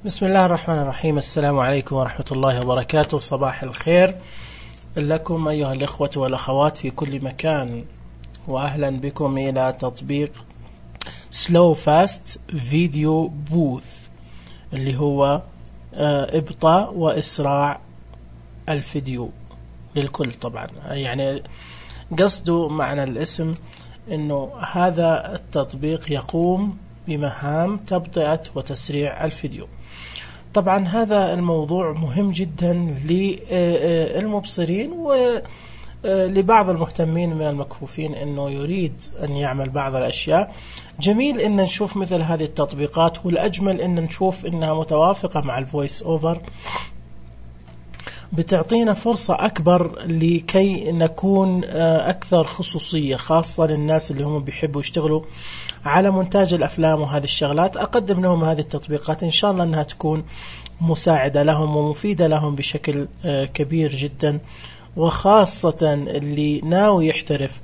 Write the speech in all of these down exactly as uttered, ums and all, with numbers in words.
بسم الله الرحمن الرحيم. السلام عليكم ورحمة الله وبركاته. صباح الخير لكم أيها الإخوة والأخوات في كل مكان، وأهلا بكم إلى تطبيق سلو فاست فيديو بوث، اللي هو إبطاء وإسراع الفيديو للكل. طبعا يعني قصده معنى الاسم إنه هذا التطبيق يقوم بمهام تبطئة وتسريع الفيديو. طبعا هذا الموضوع مهم جدا للمبصرين ولبعض المهتمين من المكفوفين انه يريد ان يعمل بعض الاشياء. جميل ان نشوف مثل هذه التطبيقات، والاجمل ان نشوف انها متوافقة مع الفويس اوفر، بتعطينا فرصة أكبر لكي نكون أكثر خصوصية، خاصة للناس اللي هم بيحبوا يشتغلوا على مونتاج الأفلام وهذه الشغلات. أقدم لهم هذه التطبيقات إن شاء الله أنها تكون مساعدة لهم ومفيدة لهم بشكل كبير جدا، وخاصة اللي ناوي يحترف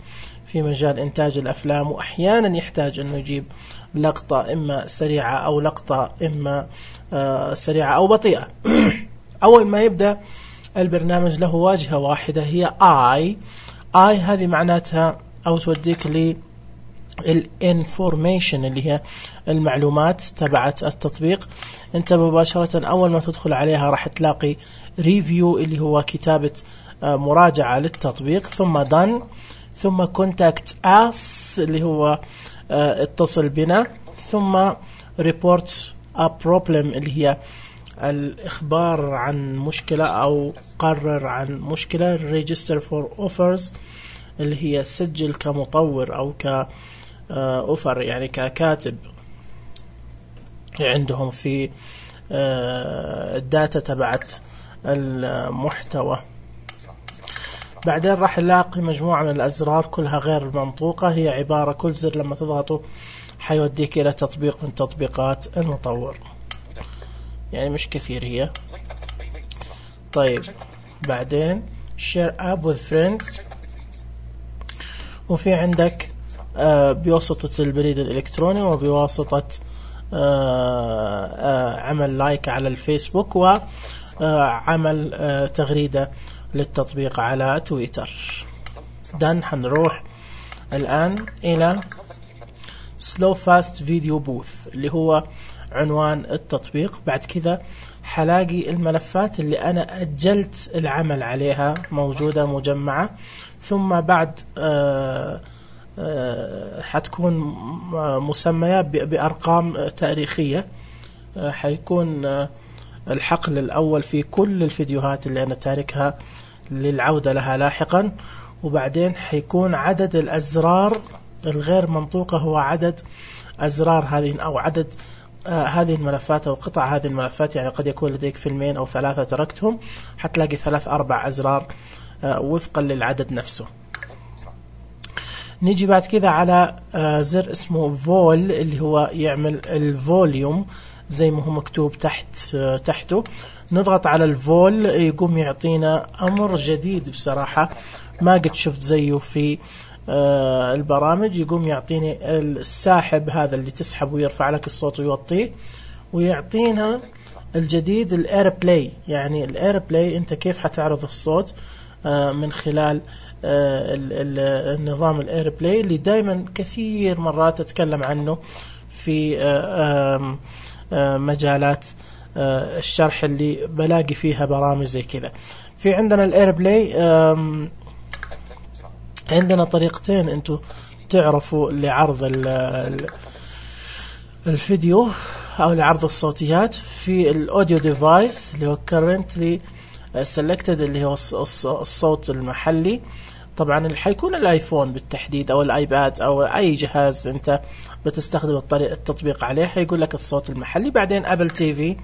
في مجال إنتاج الأفلام وأحيانا يحتاج أنه يجيب لقطة إما سريعة أو لقطة إما سريعة أو بطيئة. أول ما يبدأ البرنامج له واجهة واحدة هي آي. آي هذه معناتها أو توديك ل الانفورميشن اللي هي المعلومات تبعت التطبيق. انت مباشرة أول ما تدخل عليها راح تلاقي ريفيو اللي هو كتابة مراجعة للتطبيق، ثم done، ثم contact us اللي هو اتصل بنا، ثم report a problem اللي هي الإخبار عن مشكلة أو قرر عن مشكلة، register for offers اللي هي سجل كمطور أو كأوفر يعني ككاتب عندهم في الداتا تبعت المحتوى. بعدين راح نلاقي مجموعة من الأزرار كلها غير منطوقة، هي عبارة كل زر لما تضغطه حيوديك إلى تطبيق من تطبيقات المطور، يعني مش كثير هي. طيب بعدين share app with friends، وفي عندك آه بواسطة البريد الإلكتروني وبواسطة آه آه عمل لايك على الفيسبوك وعمل آه تغريدة للتطبيق على تويتر. دان هنروح الآن إلى slow fast video booth اللي هو عنوان التطبيق. بعد كذا حلاقي الملفات اللي أنا أجلت العمل عليها موجودة مجمعة، ثم بعد آآ آآ حتكون مسمية بأرقام تاريخية. حيكون الحقل الأول في كل الفيديوهات اللي أنا تاركها للعودة لها لاحقا، وبعدين حيكون عدد الأزرار الغير منطوقة هو عدد أزرار هذه أو عدد آه هذه الملفات أو قطع هذه الملفات. يعني قد يكون لديك فيلمين أو ثلاثة تركتهم، حتلاقي ثلاث أربع أزرار آه وفقا للعدد نفسه. نيجي بعد كذا على آه زر اسمه فول اللي هو يعمل الفوليوم زي ما هو مكتوب تحت آه تحته. نضغط على الفول يقوم يعطينا أمر جديد بصراحة ما قد شفت زيه في آه البرامج. يقوم يعطيني الساحب هذا اللي تسحب ويرفع لك الصوت ويوطيه، ويعطينا الجديد الاير بلاي. يعني الاير بلاي انت كيف حتعرض الصوت آه من خلال آه ال ال النظام الاير بلاي اللي دائما كثير مرات اتكلم عنه في آه آه مجالات آه الشرح اللي بلاقي فيها برامج زي كذا. في عندنا الاير بلاي آه عندنا طريقتين انتو تعرفوا لعرض الفيديو او لعرض الصوتيات. في الاوديو ديفايس اللي هو currently selected اللي هو الصوت المحلي، طبعا اللي حيكون الايفون بالتحديد او الايباد او اي جهاز انت بتستخدم الطريق التطبيق عليه حيقول لك الصوت المحلي. بعدين ابل تي في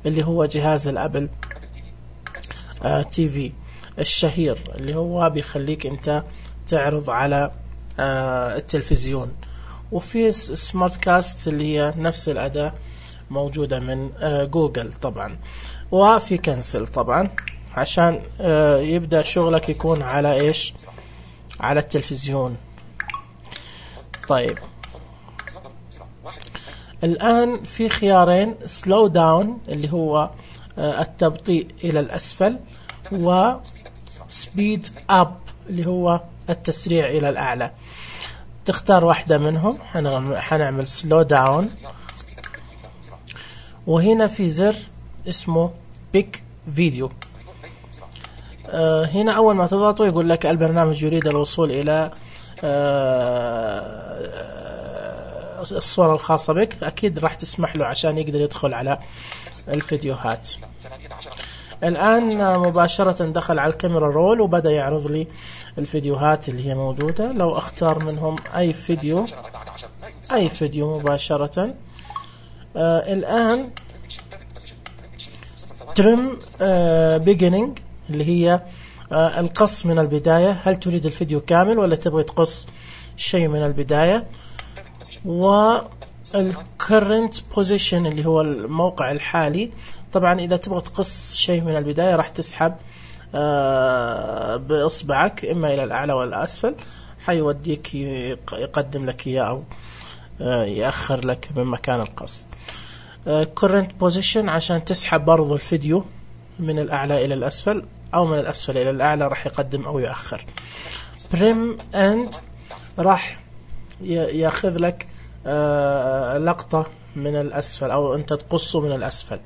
اللي هو جهاز الابل آه تي في الشهير اللي هو بيخليك انت تعرض على آه التلفزيون. وفي سمارت كاست اللي هي نفس الأداة موجودة من آه جوجل طبعا. وفي كنسل طبعا عشان آه يبدأ شغلك يكون على إيش، على التلفزيون. طيب الآن في خيارين، سلو داون اللي هو التبطيء إلى الأسفل، و سبيد أب اللي هو التسريع إلى الأعلى. تختار واحدة منهم. حنعمل سلو داون، وهنا في زر اسمه بيك فيديو. آه هنا أول ما تضغطه يقول لك البرنامج يريد الوصول إلى آه الصورة الخاصة بك. أكيد راح تسمح له عشان يقدر يدخل على الفيديوهات. الآن مباشرة دخل على الكاميرا رول وبدأ يعرض لي الفيديوهات اللي هي موجودة. لو أختار منهم أي فيديو أي فيديو مباشرة. آه الآن ترم آه بيجينينج اللي هي آه القص من البداية. هل تريد الفيديو كامل ولا تبغي تقص شيء من البداية؟ والكرنت بوزيشن اللي هو الموقع الحالي. طبعا إذا تبغى تقص شيء من البداية راح تسحب آه بإصبعك إما إلى الأعلى ولا الأسفل، حيوديك يقدم لك إياه أو آه يأخر لك من مكان القص. آه current position عشان تسحب برضو الفيديو من الأعلى إلى الأسفل أو من الأسفل إلى الأعلى، راح يقدم أو يأخر. prim end راح يأخذ لك آه لقطة من الأسفل أو أنت تقصه من الأسفل.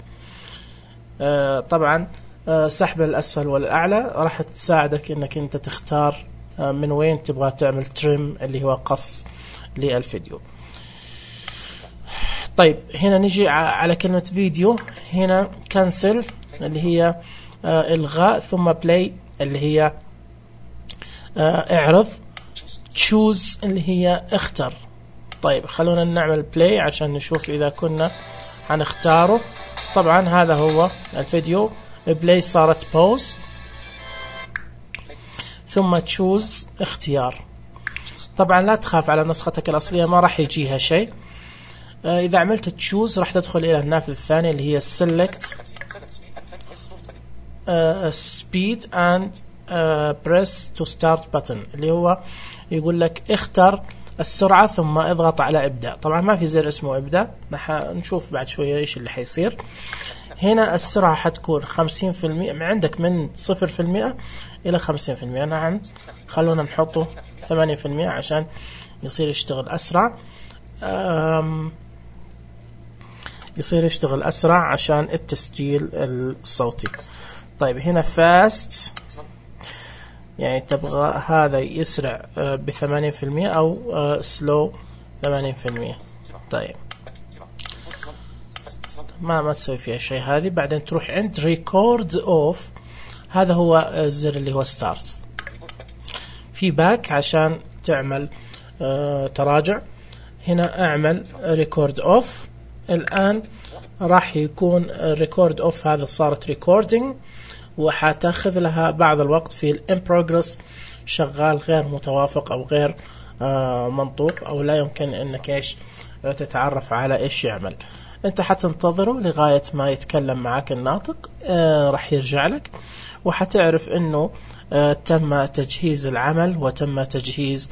آه طبعا آه سحب الأسفل والأعلى راح تساعدك إنك أنت تختار آه من وين تبغى تعمل تريم اللي هو قص للفيديو. طيب هنا نجي على كلمة فيديو. هنا كانسل اللي هي آه إلغاء، ثم بلاي اللي هي آه اعرض، تشوز اللي هي اختر. طيب خلونا نعمل بلاي عشان نشوف إذا كنا هنختاره. طبعا هذا هو الفيديو. بلاي صارت بوز، ثم تشوز اختيار. طبعا لا تخاف على نسختك الأصلية ما راح يجيها شيء. آه إذا عملت تشوز راح تدخل إلى النافذة الثانية اللي هي select uh, speed and uh, press to start button اللي هو يقول لك اختر السرعة ثم اضغط على ابدأ. طبعا ما في زر اسمه ابدأ، نشوف بعد شوية ايش اللي حيصير. هنا السرعة حتكون خمسين في المئة عندك من صفر في المئة الى خمسين في المئة. نعم خلونا نحطه ثمانية في المئة عشان يصير يشتغل اسرع. يصير يشتغل اسرع عشان التسجيل الصوتي. طيب هنا فاست يعني تبغى هذا يسرع بثمانين في المئة أو سلو ثمانين في المئة. طيب ما ما تسوي فيها شيء هذه. بعدين تروح عند ريكورد اوف، هذا هو الزر اللي هو ستارت. في باك عشان تعمل آه تراجع. هنا اعمل ريكورد اوف. الآن راح يكون ريكورد اوف هذا صارت ريكوردينج، وحتاخذ لها بعض الوقت في الان بروجرس شغال غير متوافق او غير آه منطوق او لا يمكن انك ايش تتعرف على ايش يعمل. انت حتنتظره لغاية ما يتكلم معك الناطق. آه راح يرجع لك وحتعرف انه آه تم تجهيز العمل وتم تجهيز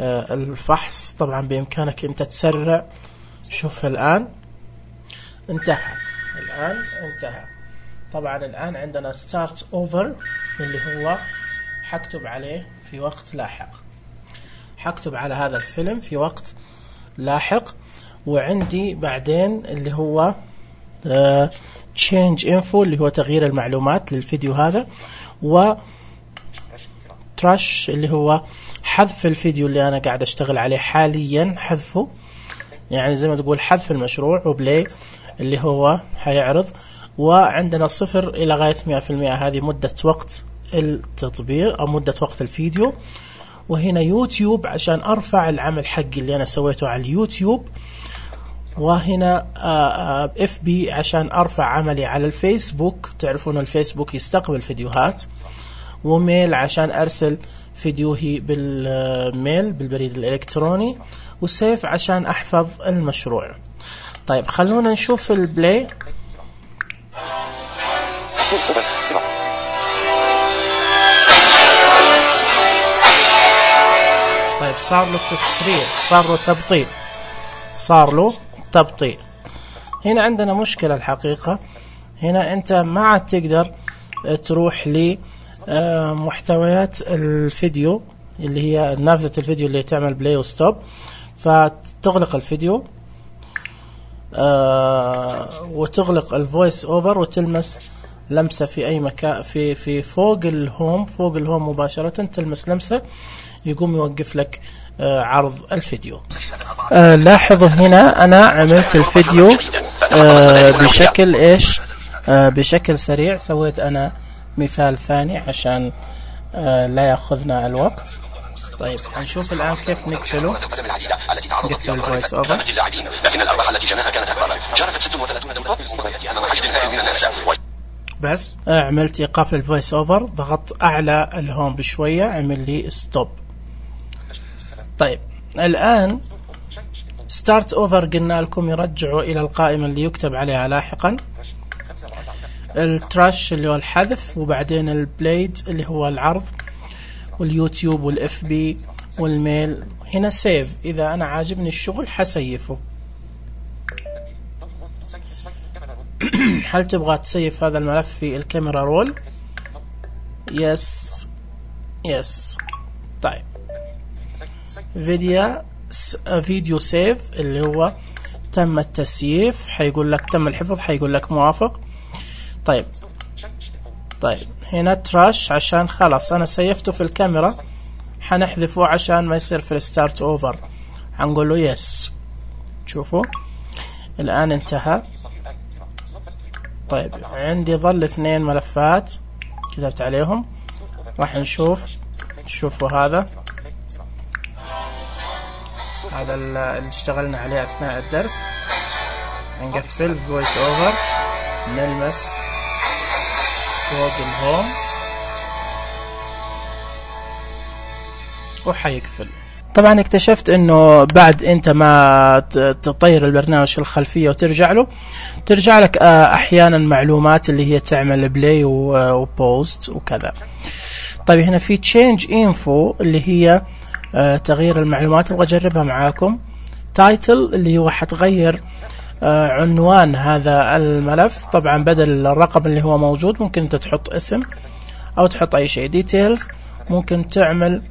آه الفحص. طبعا بامكانك انت تسرع. شوف الان انتهى. الان انتهى. طبعا الآن عندنا start over اللي هو حكتب عليه في وقت لاحق. حكتب على هذا الفيلم في وقت لاحق. وعندي بعدين اللي هو uh, change info اللي هو تغيير المعلومات للفيديو هذا، و trash اللي هو حذف الفيديو اللي أنا قاعد أشتغل عليه حاليا، حذفه يعني زي ما تقول حذف المشروع. وبلاي اللي هو حيعرض. وعندنا صفر إلى غاية مئة في المئة، هذه مدة وقت التطبيق أو مدة وقت الفيديو. وهنا يوتيوب عشان أرفع العمل حقي اللي أنا سويته على اليوتيوب. وهنا اف بي عشان أرفع عملي على الفيسبوك. تعرفون الفيسبوك يستقبل فيديوهات. وميل عشان أرسل فيديوهي بالميل بالبريد الإلكتروني. وسيف عشان أحفظ المشروع. طيب خلونا نشوف البلاي. طيب صار له تسريع، صار له تبطيء، صار له تبطيء. هنا عندنا مشكلة الحقيقة. هنا انت ما عاد تقدر تروح لمحتويات الفيديو اللي هي نافذة الفيديو اللي تعمل بلاي وستوب، فتغلق الفيديو آه وتغلق الفويس اوفر وتلمس لمسة في اي مكان في في فوق الهوم فوق الهوم مباشرة، تلمس لمسة يقوم يوقف لك آه عرض الفيديو. آه لاحظوا هنا انا عملت الفيديو آه بشكل ايش آه بشكل سريع. سويت انا مثال ثاني عشان آه لا ياخذنا الوقت. طيب هنشوف الآن كيف نقفله. نقفل الفويس اوفر. لكن الأرباح التي جناها كانت أكبر. شاركت ستة وثلاثين دولة في المباريات أمام حشد هائل من الناس. بس عملت إيقاف للفويس اوفر، ضغطت أعلى الهوم بشوية، عمل لي ستوب. طيب الآن ستارت اوفر قلنا لكم يرجعوا إلى القائمة اللي يكتب عليها لاحقا. التراش اللي هو الحذف، وبعدين البليد اللي هو العرض، واليوتيوب والاف بي والميل. هنا سيف، اذا انا عاجبني الشغل حسيفه. هل تبغى تسيف هذا الملف في الكاميرا رول؟ يس يس. طيب فيديو فيديو سيف اللي هو تم التسييف، حيقول لك تم الحفظ، حيقول لك موافق. طيب طيب هنا تراش عشان خلاص انا سيفته في الكاميرا، حنحذفه عشان ما يصير في الستارت اوفر، حنقول له يس. شوفوا الان انتهى. طيب عندي ظل اثنين ملفات كتبت عليهم، راح نشوف. شوفوا هذا هذا اللي اشتغلنا عليه اثناء الدرس. نقفل فويس اوفر، نلمس فوق الهوم وحيقفل. طبعا اكتشفت انه بعد انت ما تطير البرنامج في الخلفية وترجع له، ترجع لك احيانا معلومات اللي هي تعمل بلاي وبوست وكذا. طيب هنا في تشينج انفو اللي هي تغيير المعلومات، ابغى اجربها معاكم. تايتل اللي هو حتغير عنوان هذا الملف، طبعا بدل الرقم اللي هو موجود ممكن انت تحط اسم او تحط اي شيء. ديتيلز ممكن تعمل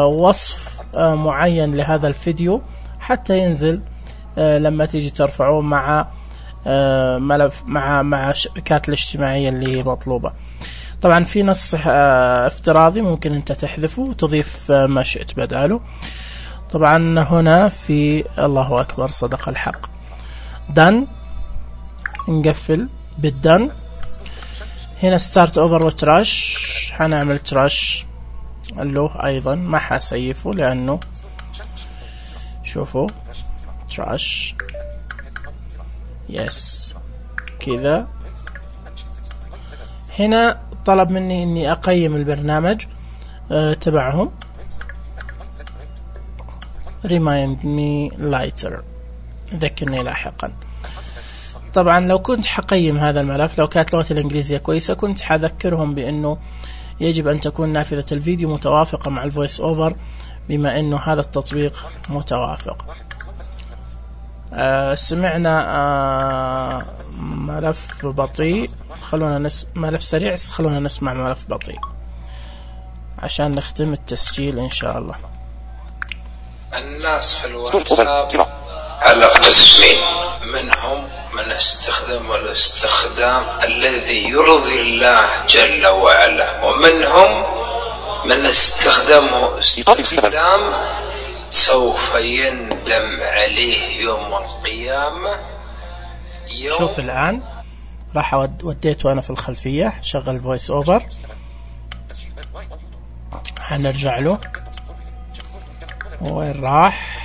وصف معين لهذا الفيديو حتى ينزل لما تيجي ترفعوه مع ملف مع مع الشبكات الاجتماعية اللي مطلوبة. طبعا في نص افتراضي ممكن انت تحذفه وتضيف ما شئت بداله. طبعا هنا في الله اكبر صدق الحق. دن، نقفل بالدن. هنا ستارت اوفر وتراش، حنعمل تراش له ايضا، ما حسيفه لانه شوفوا تراش يس كذا. هنا طلب مني اني اقيم البرنامج أه تبعهم. remind me later، ذكرني لاحقا. طبعا لو كنت حقيم هذا الملف، لو كانت لغتي الانجليزية كويسة، كنت حذكرهم بانه يجب ان تكون نافذة الفيديو متوافقة مع الفويس اوفر، بما انه هذا التطبيق متوافق. آه سمعنا آه ملف بطيء، خلونا نس ملف سريع، خلونا نسمع ملف بطيء عشان نختم التسجيل ان شاء الله. الناس في الواتساب على قسمين، منهم من استخدم الاستخدام الذي يرضي الله جل وعلا، ومنهم من استخدمه استخدام سوف يندم عليه يوم القيامة. يوم شوف الآن راح وديته أنا في الخلفية، شغل فويس اوفر، حنرجع له. وين راح؟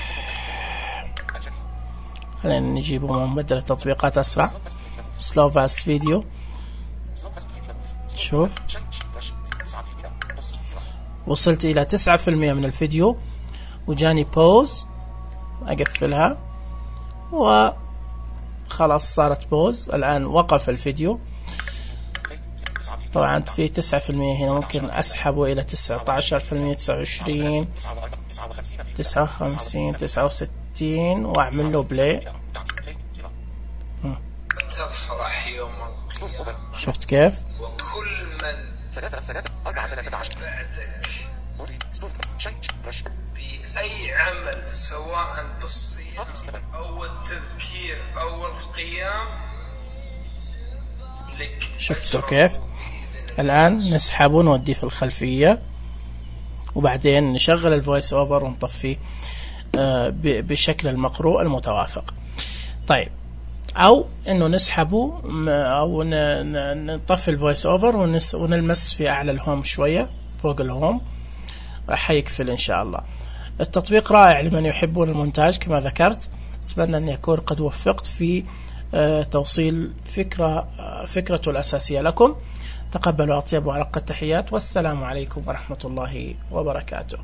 خلينا نجيبه من مبدل التطبيقات أسرع. سلو فاست فيديو. شوف وصلت إلى تسعة في المية من الفيديو، وجاني بوز، أقفلها وخلاص صارت بوز. الآن وقف الفيديو. طبعا في تسعة في المية هنا، ممكن أسحبه إلى تسعة عشر في المية، تسعة وعشرين، تسعة وخمسين، تسعة وستين، وأعمل له بلاي. يوم القيامة. شفت كيف؟ وكل من بعدك بأي عمل سواء بالصيام أو التذكير أو القيام لك. شفتوا كيف؟ الآن نسحبه ونوديه في الخلفية، وبعدين نشغل الفويس اوفر ونطفيه بشكل المقروء المتوافق. طيب، او انه نسحبه او نطفي الفويس اوفر ونلمس في اعلى الهوم شوية فوق الهوم، راح يكفل ان شاء الله. التطبيق رائع لمن يحبون المونتاج كما ذكرت. اتمنى ان يكون قد وفقت في توصيل فكرة فكرته الاساسية لكم. تقبلوا اطيب وارق التحيات، والسلام عليكم ورحمة الله وبركاته.